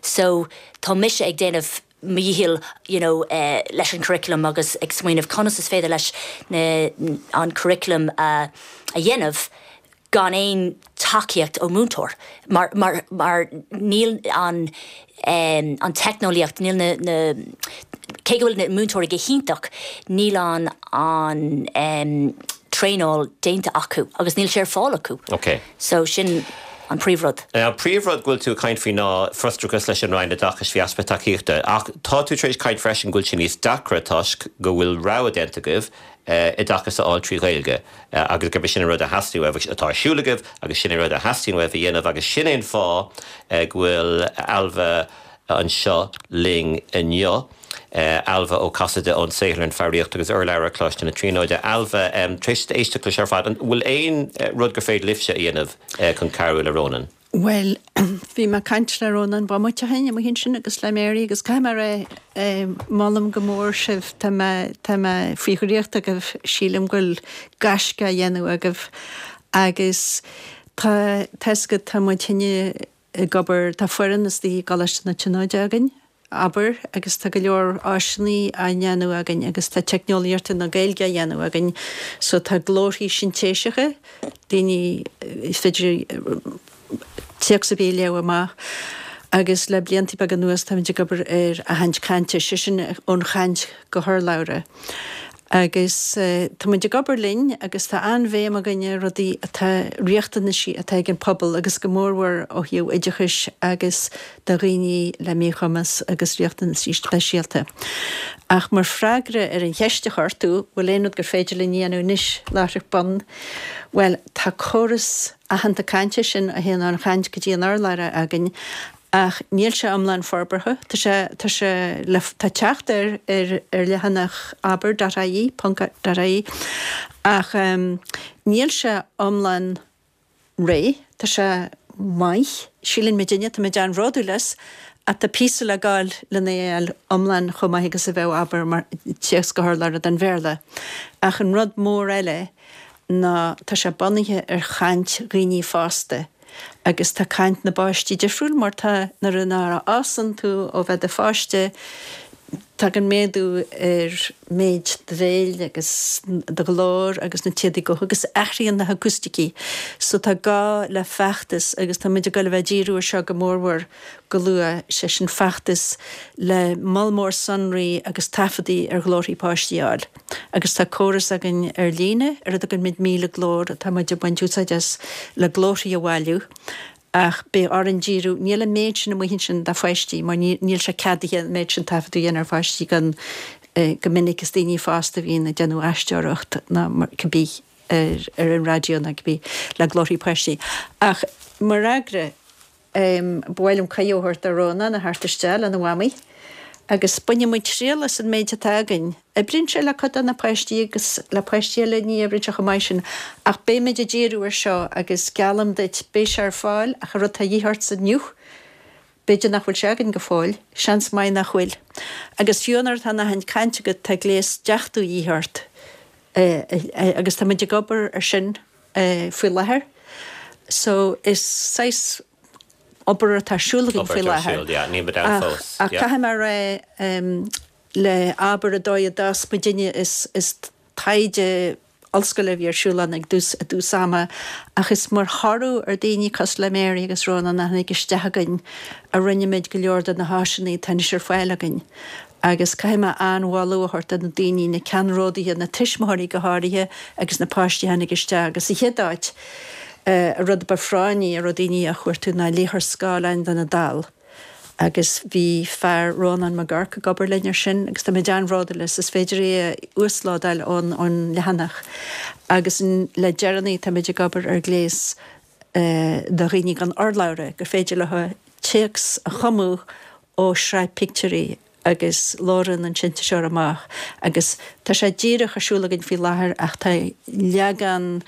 So tá mise ag déanamh mo dhícheall you know, uh, leis an curriculum agus ag smaoineamh conas is féidir leis na, an curriculum uh, a dhéanamh gan aon tacaíocht ó múinteoir mar mar mar níl an um, an teicneolaíocht níl na, na cé go bhfuil na múinteoirí go hiontach níl an an um, traenáil déanta acu agus níl sé ar fáil acu. Okay. So sin an príomhrud. An príomhrud go bhfuil tú ag caint faoi ná frustrachas leis an Roinn Oideachais faoi easpa tacaíochta, ach tá tú tar éis caint freisin go bhfuil sé níos deacra toisc go bhfuil rogha déanta agaibh oideachas a fháil trí Ghaeilge agus gurb é sin an rud a theastaíonn uaibh atá ar siúl agaibh agus sin an rud a theastaíonn uaibh a dhéanamh agus sin é an fáth go bhfuil Ailbhe anseo linn inniu. Ailbhe Ó Casaide ón Saotharlann Foghraíochta agus Urlabhra Coláiste na Tríonóide. Ailbhe, tar éis éisteacht leis ar fad, an bhfuil aon rud gur féidir libhse a dhéanamh chun cabhrú le Rónán? Well, bhí mé ag caint le Rónán bomaite ó shin amuigh ansin agus le Mary agus caithfidh mé a rá molaim go mór sibh tá mé tá mé faoi dhraíocht agaibh sílim go bhfuil gaisce á dhéanamh agaibh agus tá tá tá muid féin ag obair tá foireann istigh i gColáiste na Tríonóide againn abair agus tá go leor áiseanna á ndéanamh againn agus tá teicneolaíocht na Gaeilge á dhéanamh againn so tá glórthaí sintéiseacha daoine is féidir téacs a bith a léamh amach agus le blianta beaga anuas táimid ag obair ar aithint cainte sé sin ón chaint go hurlabhra. Agus uh, tá muid ag obair linn agus tá an-bhéim againn ar rudaí atá riachtanaisí atá ag an pobal agus go mórmhór ó thaobh oideachais agus do dhaoine le míchumas agus riachtanaisí speisialta. Ach mar freagra ar an cheist a chuir tú, bhfuil aon rud gur féidir linn a dhéanamh anois láithreach bonn, Well tá córas aitheanta cainte sin a théann ón chaint go dtí an urlabhra againn ach níl sé iomlán forbartha Tá sé tá sé le tá teacht ar ar ar leathanach abair dot ie ponc dot ie ach um, níl sé iomlán réidh Tá sé maith síleann muidinne tá muid an-bhródúil as ach tá píosa le gabháil lena fháil iomlán chomh maith agus a bheadh abair mar téacs go hurlabhra den Bhéarla. Ach an rud mór eile ná tá sé bunaithe ar chaint dhaoine fásta. Agus tá caint na bpáistí difriúil mar tá nuair a fhásann tú ó bheith i do pháiste tagann méadú ar méid do bhéil agus do ghlór agus na téadaí gutha agus athraíonn na hacústaicí. So tá gá le feachtas agus tá muid ag dul a bheith ag díriú air seo go mórmhór go luath sé sin feachtas le moll mór sonraí agus taifeadtaí ar ghlórthaí páistí a fháil. Agus tá córas againn ar líne ar a dtugann muid míle glór atá muid ag baint úsáid as le glórthaí a bhailiú. Ach beidh orainn díriú níl an méid sin amuigh ansin do pháistí mar níl sé ceadaithe an méid sin taifeadadh a dhéanamh ar pháistí gan go minic is daoine fásta a bhíonn ag déanamh aisteoireacht ná cibé ar ar an raidió ná cibé le glórthaí páistí. Ach mar fhreagra ba mhaith liom cuireadh a thabhairt do Rónán a theacht isteach lena mhamaí agus bainfidh muid triail as an méid atá againn. Oibríonn sé le cuid de na páistí agus le páistí eile ní oibríonn sé chomh maith sin ach beimid ag díriú air seo agus geallaim duit beidh sé ar fáil ach an rud atá de dhíth ortsa inniu b'fhéidir nach bhfuil sé againn go fóill, seans maith nach bhfuil. Agus fiú nuair atá an aithint cainte agat tá gléas deachtú de dhíth ort agus tá muid ag obair ar sin faoi láthair. So is saghas obair atá ar siúl againn faoi láthair. Ach caithfidh mé a rá le abair an dóigh a d'fhás muidinne is is taighde ollscoile a bhí ar siúl ann ag dtús i dtús ama ach is mar thoradh ar daoine cosúil le Mary agus Rónán a tháinig isteach againn a rinne muid go leor de na háiseanna atá anois ar fáil againn. Agus caithfidh mé an-mholadh a thabhairt do na daoine, na ceannródaithe, na tuismitheoirí go háirithe agus na páistí a tháinig isteach agus sa chéad áit, An rud ba phráinní a raibh daoine á chuartú ná léitheoir scáileáin do na dall agus bhí fear, Rónán Mac Guirc, ag obair linn ar sin agus táimid an-bhródúil as. Is féidir é a uaslódáil ón ón leathanach agus le deireanaí táimid ag obair ar ghléas do dhaoine gan urlabhra gur féidir leo téacs a chumadh ó shraith pictiúirí agus labhrann an sintéiseoir amach agus tá sé díreach ar siúl againn faoi láthair ach tá leagan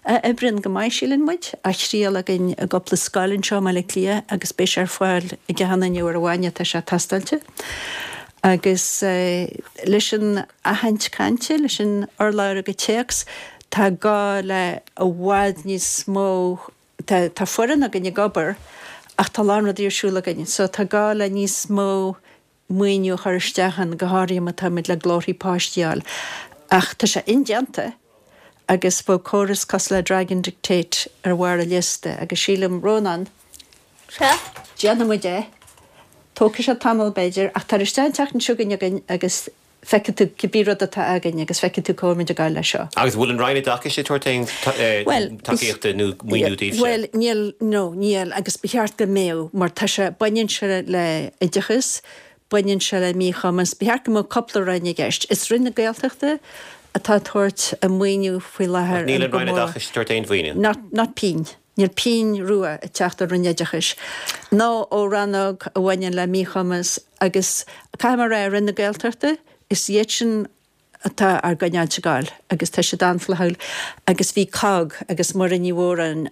a oibríonn go maith, síleann muid, á thriail againn i gcúpla scoil anseo i mBaile Átha Cliath agus beidh sé ar fáil ag achan duine uair amháin atá sé tástáilte. Agus leis an aithint cainte, leis an urlabhra go téacs, tá gá le i bhfad níos mó, tá tá foireann againn ag obair ach tá a lán rudaí ar siúl againn so tá gá le níos mó maoiniú a chur isteach ann, go háirithe má táimid le glórthaí páistí a fháil. Ach tá sé indéanta Agus bheadh córas cosúil le Dragon Dictate ar bharr an liosta agus sílim Rónán, Sea. Déanfaidh muid é. Tógfaidh sé tamall b'fhéidir ach tar isteach an tseachtain seo chugainn againn agus feicfidh tú cibé rud atá againn agus feicfidh tú cá bhfuil muid ag gabháil leis seo. Agus bhfuil an Roinn Oideachais ag tabhairt aon tacaíochta nó maoiniú daoibhse? Bhuel, níl, no, níl agus ba cheart go mbeadh mar tá sé, baineann sé le oideachas, baineann sé le míchumas, ba cheart go mbeadh cúpla roinn i gceist. Is Roinn na Gaeltachta atá ag tabhairt an maoiniú faoi láthair. Ach níl an Roinn Oideachais ag tabhairt aon mhaoiniú? Not, not pingin. Níl pingin rua ag teacht ó Roinn Oideachais ná ó rannóg a bhaineann le míchumas agus caithfidh mé a rá, Roinn na Gaeltachta, is iad sin atá ár gcoinneáilt ag gabháil agus tá siad an-fhlaithiúil agus bhí cogg agus Muireann Ní Mhóráin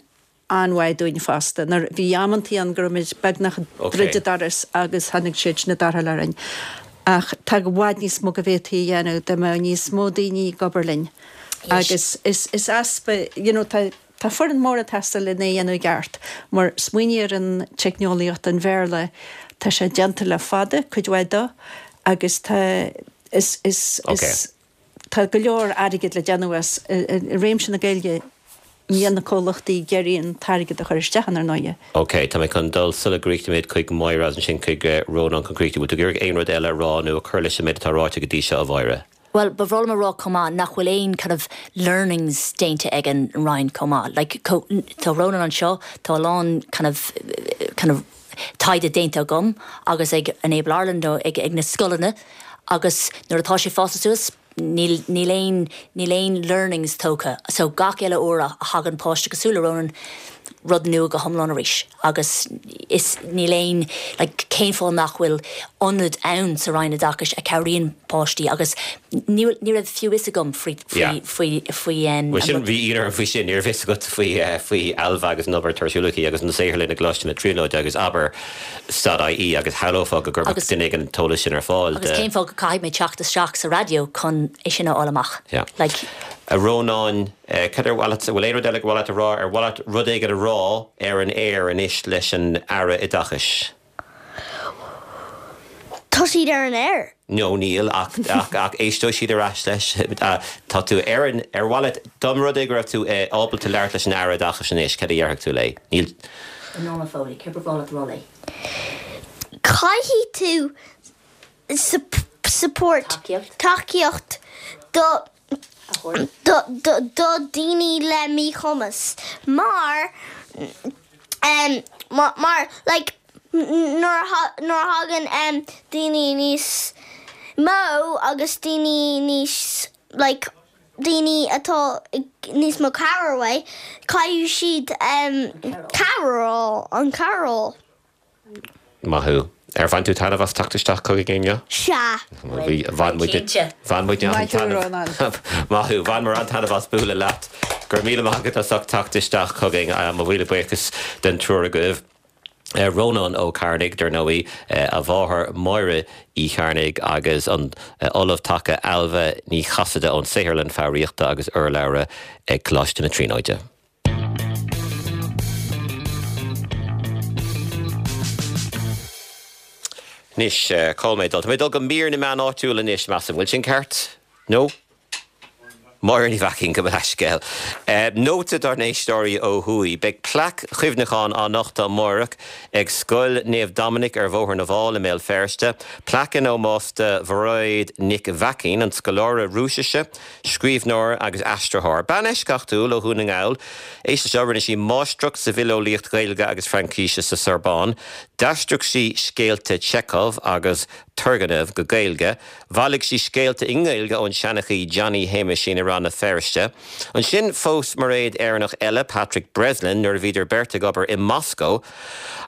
an-mhaith dúinn fosta. Nuair bhí amantaí ann go raibh muid beagnach ag druid an doras agus tháinig siad sin i dtarrtháil orainn. Ach tá i bhfad níos mó go bhféadfaí a dhéanamh dá mbeadh níos mó daoine ag obair linn agus is is easpa, you know, tá tá foireann mór ag teastáil lena dhéanamh i gceart mar smaoinigh ar an teicneolaíocht an Bhéarla, tá sé déanta le fada, cuid mhaith dó, agus tá is is is tá go leor airgid le déanamh as i réimse na Gaeilge níl na comhlachtaí ag iarraidh an t-airgead a chur isteach ann ar ndóighe. Ok, tá mé chun dul sula gcríochnaímid chuig Máire agus ansin chuig Rónán chun críochnú. Bhfuil tú ag iarraidh aon rud eile a rá nó a chur leis an méid atá ráite go dtí seo, a Mháire? Bhuel, ba bhreá liom a rá chomh maith nach bhfuil aon kind of learnings déanta ag an Roinn chomh maith. Like, tá Rónán anseo, tá a lán kind of, kind of taighde déanta agam agus ag Enable Ireland nó ag, ag na scoileanna agus nuair atá sé fásta suas, níl, níl aon, níl aon learnings tógtha. So gach uile uair a thagann páiste cosúil le Rónán, rud nua go hiomlán arís agus is níl aon like cén fáth nach bhfuil ionad ann sa Roinn Oideachais a cabhraíonn páistí agus ní ní raibh fiú fhios agam faoi faoi faoi faoi an Bhuel sin bhí ionadh orm faoi sin, ní raibh fhios agat faoi faoi Ailbhe agus an obair atá ar siúl aici agus na saotharlann i gColáiste na Tríonóide agus abair stad IE agus shamhlófá go gcuirfeadh duine éigin an t-eolas sin ar fáil Agus cén fáth go caithfidh mé teacht isteach sa raidió chun é sin a fháil amach? Yeah. Like. A Rónáin, cad ar mhaith leat, an bhfuil aon rud eile gur mhaith leat a rá, ar mhaith leat rud éigin a rá ar an aer anois leis an Aire Oideachais? Tá siad ar an aer. No, níl, ach, ach, ach éisteoidh siad ar ais leis. Tá tú ar an, ar mhaith leat, dá mba rud é go raibh tú ábalta labhairt leis an Aire Oideachais anois, cad a dhéarfadh tú léi? Níl. Norma Foley, céard ba bhreá leat a rá léi? Caithfidh tú support, tacaíocht do do daoine le míchumas mar mar like nuair a thagann daoine níos mó agus daoine níos like daoine atá níos mó cabhair uaidh caithfidh siad cabhair a fháil an cabhair a fháil. Maith thú. Ar bhain tú taitneamh as teacht isteach chugainn inniu? Sea. Bhí, bhain muid, bhain muid Maith thú, Rónán. Maith thú. Bhaineamar an-taitneamh as bualadh leat. Go raibh míle maith agat as ucht teacht isteach chugainn. Mo mhíle buíochas den triúr agaibh. Rónán Ó Cearnaigh, dar ndóigh, a mháthair Máire Uí Chearnaigh agus an Ollamh Taca Ailbhe Ní Chasaide ón Saotharlann Foghraíochta agus Urlabhra ag Coláiste na Tríonóide. Anois, cá bhfuil mé ag dul? Tá mé ag dul go mír na meán áitiúil anois, measaim. Bhfuil sin ceart? No? Máire Ní Mhaicín, gabh mo leithscéal. Nóta dár n-éisteoirí ó thuaidh, beidh plaic chuimhneacháin á nochtadh amárach ag Scoil Naomh Dominic ar Bhóthar na bhFál i mBéal Feirste. Plaic in ómós do Mhairéad Nic Mhaicín, an scoláire Rúisise, scríbhneoir agus aistritheoir. Bean eisceachtúil ó Dhún na nGall. Éist leis seo, rinne sí máistreacht sa bhFileolaíocht Ghaeilge agus Fraincise sa Sorbonne. D'aistrigh sí scéalta Chekhov agus Turgenev go Gaeilge. Bhailigh sí scéalta i nGaeilge ón seanchaí Johnny Shéamaisín i Rann na Feirste. Ansin phós Mairéad Éireannach eile, Patrick Breslin, nuair a bhíodar beirt ag obair i Moscó.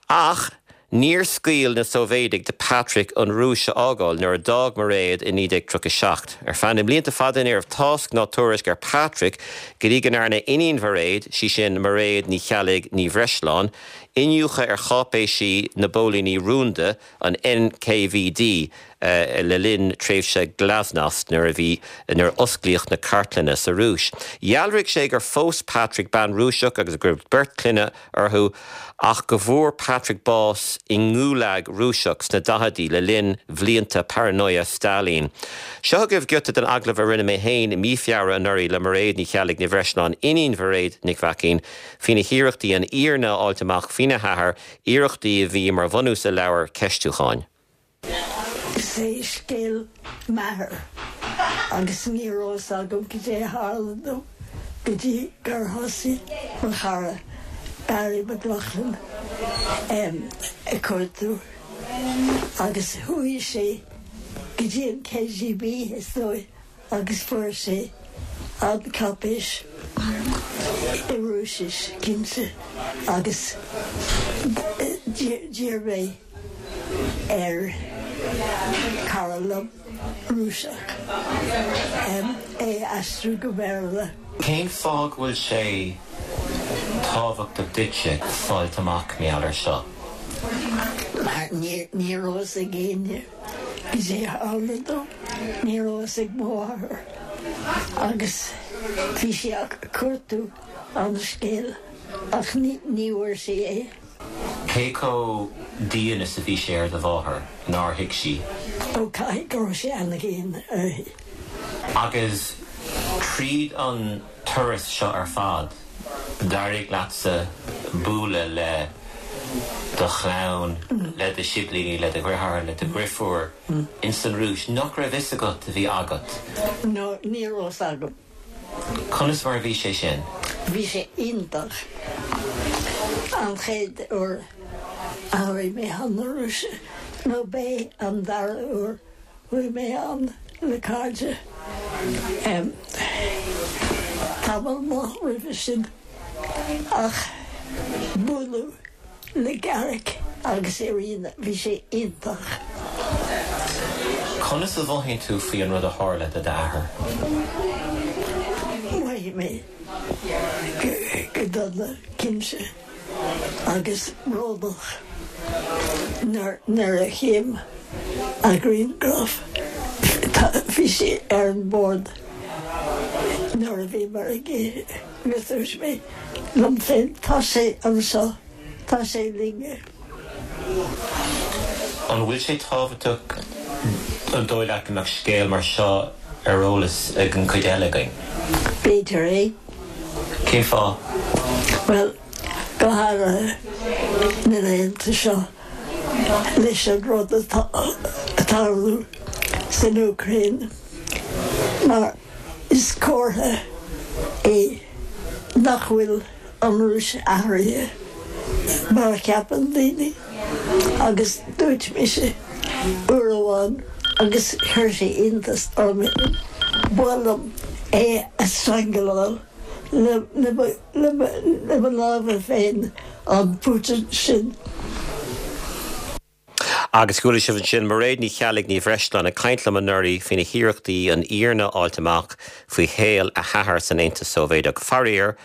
Ach níor scaoil na Sóivéadaigh de Patrick an Rúis a fhágáil nuair a d'fhág Mairéad i naoi déag tríocha a seacht. Ar feadh na mblianta fada ní raibh tásc ná tuairisc ar Patrick go dtí go ndearna iníon Mhairéad, sí sin Mairéad Ní Cheallaigh Ní Bhreisleáin, iniúchadh ar cháipéisí na bpóilíní rúnda, an NKVD, le linn tréimhse Glasnost nuair a bhí nuair a osclaíodh na cartlanna sa Rúis. Dhealraigh sé gur phós Patrick bean Rúiseach agus go raibh beirt clainne orthu ach go bhfuair Patrick bás i ngulag Rúiseach sna daichidí le linn bhlianta paranoia Stalin. Seo agaibh giota den agallamh a rinne mé féin i mí Feabhra anuraidh le Mairéad Ní Cheallaigh Ní Bhreisleáin, iníon Mhairéad Nic Mhaicín, faoina hiarrachtaí an fhírinne a fháilt amach faoina hathair, iarrachtaí a bhí mar bhunús a leabhair ceistiúcháin. Is é scéal m'athar agus ní raibh fhios agam cad é a tharla dó go dtí gur thosaigh mo chara Barry McLaughlin ag cuartú agus chuaigh sé go dtí an KGB is dóigh agus fuair sé an cáipéis i Rúisis cinnte agus d'iarr mé ar cara liom Rúiseach é a aistriú go Béarla. Cén fáth go bhfuil sé tábhachtach duitse fáilt amach mar gheall air seo? Mar ní raibh fhios ag éinne cad é a tharla dó, ní raibh fhios ag mo mháthair agus bhí sí ag cuartú an scéil ach ní bhfuair sí é. Cé chomh dian is a bhí sé ar do mháthair nár thuig sí? Ó caithfidh go raibh sé ana-dhian uirthi. Agus tríd an turas seo ar fad, d'éirigh leatsa bualadh le do chlann, le do shiblíní, le do dheartháir, le do dheirfiúr ins an Rúis, nach raibh fhios agat a bhí agat? No, ní raibh fhios agam. Conas mar a bhí sé sin? Bhí sé iontach. An chéad uair a chuaigh mé chun na Rúise, nó b'é an dara huair, chuaigh mé ann le cairde tamall maith roimhe sin, ach bualadh le Garik agus Irina, bhí sé iontach. Conas a mhothaíonn tú faoi an rud a tharla do d'athair? Mhothaigh mé go dona, cinnte, agus brónach nuair a chím a ghrianghraf. Bhí sé ar an mbord nuair a bhíomar ag ithe agus dúirt mé liom féin, 'Tá sé anseo, tá sé linn'. An bhfuil sé tábhachtach, an dóigh leat, go mbeadh scéal mar seo ar eolas ag an chuid eile againn? B'fhéidir é. Cén fáth? Bhuel, go háirithe na laethanta seo leis an rud atá ag tarlú san Úcráin, mar is comhartha é nach bhfuil an Rúis athraithe mar a cheapann daoine agus dúirt mise uair amháin agus chuir sé iontas orm féin, ba mhaith liom é a strangaláil le mo lámha féin, an Putin sin. Agus chuala sibh ansin Mairéad Ní Cheallaigh Ní Bhreisleáin ag caint liom anuraidh faoina hiarrachtaí an fhírinne a fháilt amach faoi shaol a hathar san Aontas Sóivéadach. Faraor,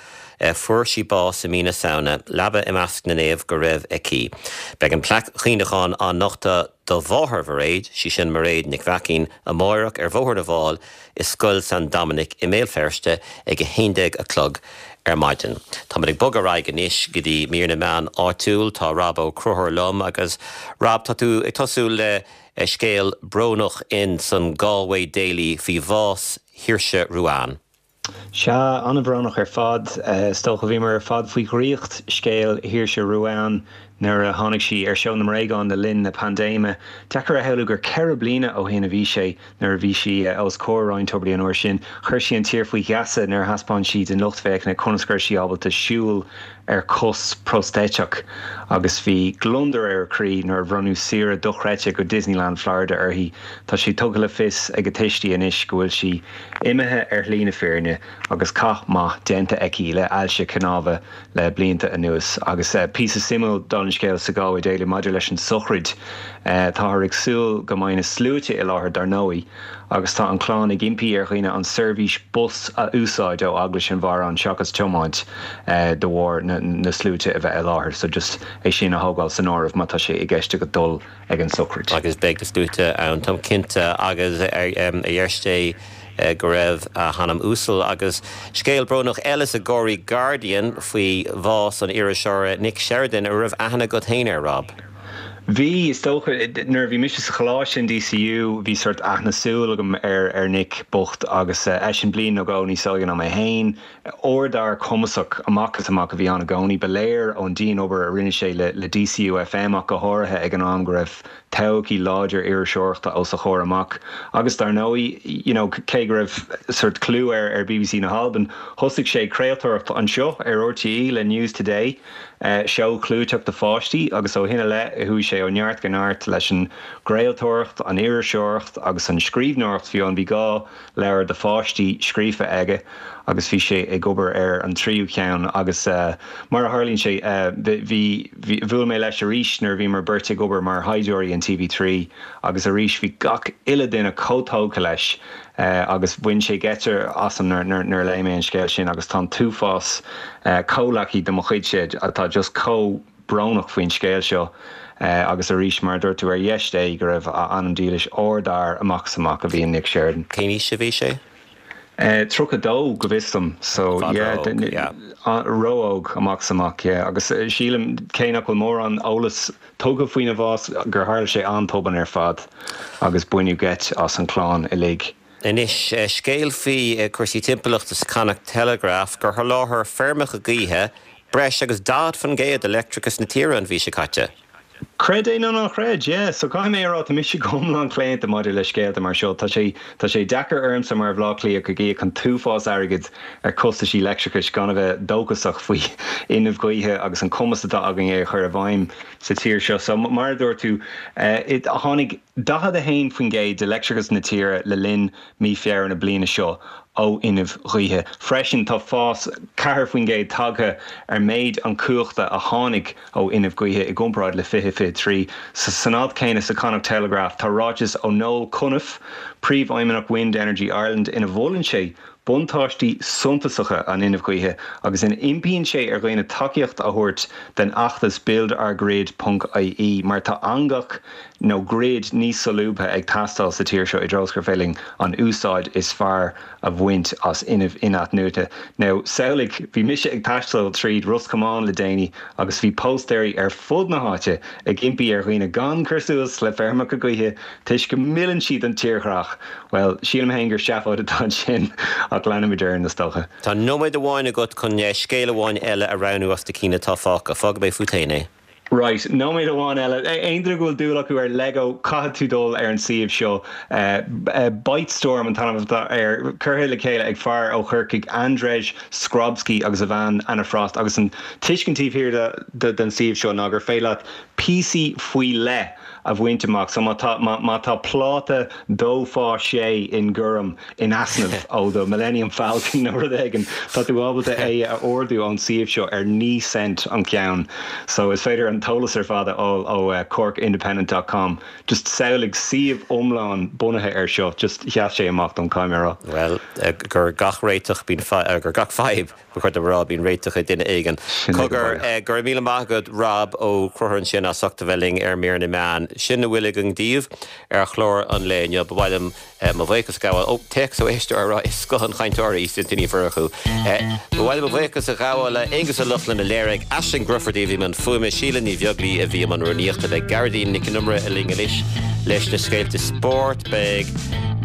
fuair sí bás i mí na Samhna, leaba i measc na naomh go raibh aici. Beidh an plaic chuimhneacháin á nochtadh do mháthair Mhairéad, sí sin Mairéad Nic Mhaicín, amáireach ar Bhóthar na bhFál i Scoil San Dominic i mBéal Feirste ag a haon déag a chlog ar maidin. Táimid ag bogadh ar aghaidh anois go dtí mír na meán áitiúil. Tá Rob Ó Conchúir liom agus Rob, tá tú ag tosú le scéal brónach in san Galway Daily faoi bhás Shaoirse Ruane. Sea, an-bhrónach ar fad. Is dócha bhíomar ar fad faoi dhraíocht scéal Shaoirse Ruane nuair a tháinig sí ar Seó na mBréagán le linn na paindéime. Deacair a shamhlú gur ceithre bliana ó shin a bhí sé nuair a bhí sí os comhair Ryan Tubridy an uair sin. Chuir sí an tír faoi gheasa nuair a thaispeáin sí don lucht féachana conas go raibh sí ábalta siúl ar chos próitéiseach agus bhí gliondar ar a croí nuair a bronnadh saoire dochreidte go Disneyland Florida uirthi. Tá sé tugtha le fios ag a tuistí anois go bhfuil sí imithe ar shlí na fírinne agus cath maith déanta aici le hailse cnáimhe le blianta anuas. Agus píosa suimiúil dul bunscéal sa Galway Daily maidir leis an sochraid. Táthar ag súil go mbeidh na sluaite i láthair dar ndóigh agus tá an chlann ag impí ar dhaoine an seirbhís bus a úsáid ó Eaglais an Bharráin seachas tiomáint de bharr na sluaite a bheith i láthair. So just é sin a thógáil san áireamh má tá sé i gceist agat dul ag an sochraid. Agus beidh na sluaite ann, táim cinnte agus ar dheis Dé go raibh a hanam uasal agus scéal brónach eile sa Gorey Guardian faoi bhás an iriseora Nick Sheridan a raibh aithne agat féin air, Rob. Bhí is dócha nuair a bhí mise sa choláiste in DCU bhí sort aithne súl agam ar ar Nick bocht agus eisean bliain nó dhó níos óige ná mé féin. Ardfhear cumasach amach is amach a bhí ann i gcónaí. Ba léir ón dian-obair a rinne sé le le DCU FM ach go háirithe ag an am go raibh todhchaí láidir iriseoireachta os a chomhair amach agus dar ndóigh you know cé go raibh sort clú air ar BBC na hAlban, thosaigh sé craoltóireacht anseo ar RTÉ le News Today, seó clúiteach do pháistí agus ó shin i leith chuaigh sé ó neart go neart leis an gcraoltóireacht, an iriseoireacht agus an scríbhneoireacht fiú. Bhí dhá leabhar do pháistí scríofa aige agus bhí sé ag obair ar an tríú ceann agus mar a tharlaíonn sé bhí bhuail mé leis arís nuair a bhíomar beirt ag obair mar thaighdeoirí in TV trí agus arís bhí gach uile duine chomh tógtha leis agus bhain sé geit asam nuair a léigh mé an scéal sin agus tá an t-uafás comhleacaí de mo chuidse atá just chomh brónach faoin scéal seo agus arís mar a dúirt tú ar dheis Dé go raibh a anam dílis ardfhear amach is amach a bhí in Nick Sheridan. Cén aois a bhí sé? Tríocha dó go bhfios dom so yeah ró-óg amach is amach yeah agus sílim cé nach bhfuil mórán eolas tugtha faoina bhás gur tharla sé an-tobann ar fad agus baineadh geit as an chlann uilig. Anois, scéal faoi chúrsaí timpeallachta sa Connacht Telegraph gur sholáthair feirmeacha gaoithe breis agus daichead faoin gcéad de leictreachas na tíre an mhí seo caite. Creid é nó ná creid, yeah. So caithfidh mé a rá, tá mise go hiomlán claonta maidir le scéalta mar seo. Tá sé, tá sé deacair ormsa mar Bhaile Átha Cliathach ag íoc an t-uafás airgid ar chostaisí leictreachais gan a bheith dóchasach faoi fhuinneamh gaoithe agus an cumas atá againn é a chur i bhfeidhm sa tír seo. So mar a dúirt tú, tháinig daichead a haon faoin gcéad de leictreachas na tíre le linn mí Feabhra na bliana seo ó fhuinneamh gaoithe. Freisin, tá fás ceathair faoin gcéad tagtha ar méid an cumhachta a tháinig ó fhuinneamh gaoithe i gcomparáid le fiche fiche trí. San alt céanna sa Connacht Telegraph, tá ráiteas ó Noel Cunniffe, Príomhfheidhmeannach Wind Energy Ireland, ina mholann sé buntáistí suntasacha an fhuinnimh ghaoithe agus ina impíonn sé ar dhaoine tacaíocht a thabhairt den fheachtas buildourgrid ponc ie mar tá eangach nó grid níos solúbtha ag teastáil sa tír seo i dtreo is gur féidir linn an úsáid is fearr a bhaint as fhuinneamh in-athnuaite. Now, samhlaigh, bhí mise ag taisteal tríd Ros Comáin le déanaí agus bhí póstaeirí ar fud na háite ag impí ar dhaoine gan cur suas le feirmeacha gaoithe toisc go milleann siad an tírdhreach. Bhuel, sílim féin gur seafóid atá ansin ach leanfaimid orainn is dócha. Tá nóiméad amháin agat chun scéal amháin eile a roghnú as na cinn atá fágtha. Fágfaidh mé fút féin é. Right, nóiméad amháin eile. Aon duine go bhfuil dúil acu ar Lego, caithfidh tú dul ar an suíomh seo. Bytestorm an t-ainm atá air, curtha le chéile ag fear ó Chorcaigh, Andrzej Skrobski agus a bhean Anna Frost agus an tuiscint taobh thiar den suíomh seo ná gur féidir leat píosaí faoi leith a bhaint amach. So má tá, má tá pláta dó fá sé in gorm in easnamh ó do Millennium Falcon nó rud éigin, tá tú ábalta é a ordú ón suíomh seo ar naoi cent an ceann. So is féidir an t-eolas ar fad a fháil ó corkindependent dot com. Just samhlaigh suíomh iomlán bunaithe air seo, just sheas sé amach dom, caithfidh mé a rá. Bhuel, gur gach réiteach bíonn, gur gach fadhb Ba chóir dom a rá, bíonn réiteach ag duine éigin. Cogar, go raibh míle maith agat Rob Ó Conchúir ansin as ucht a bheith linn ar Mír na Meán. Sin a bhfuil againn daoibh ar chlár an lae inniu. Ba mhaith liom mo bhuíochas a ghabháil, ó, téacs ó éisteoir a rá is scoth an chainteoir í Cynthia Ní Mhurchú. Ba mhaith liom mo bhuíochas a ghabháil le Aonghus Ó Lochlainn a léirigh, Aisling Gruffudd a bhí i mbun fuaime, Síle Ní Bheaglaoí a bhí i mbun rúnaíochta, beidh Gearóidín Nic Con Iomaire linn anois leis na scéalta spóirt. Beidh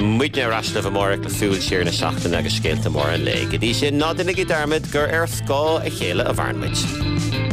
muidne ar ais libh amárach le súil siar na seachtaine agus scéalta móra an lae. Go dtí sin, ná déanaigí dearmad gur ar scáth a chéile a mhaireann muid.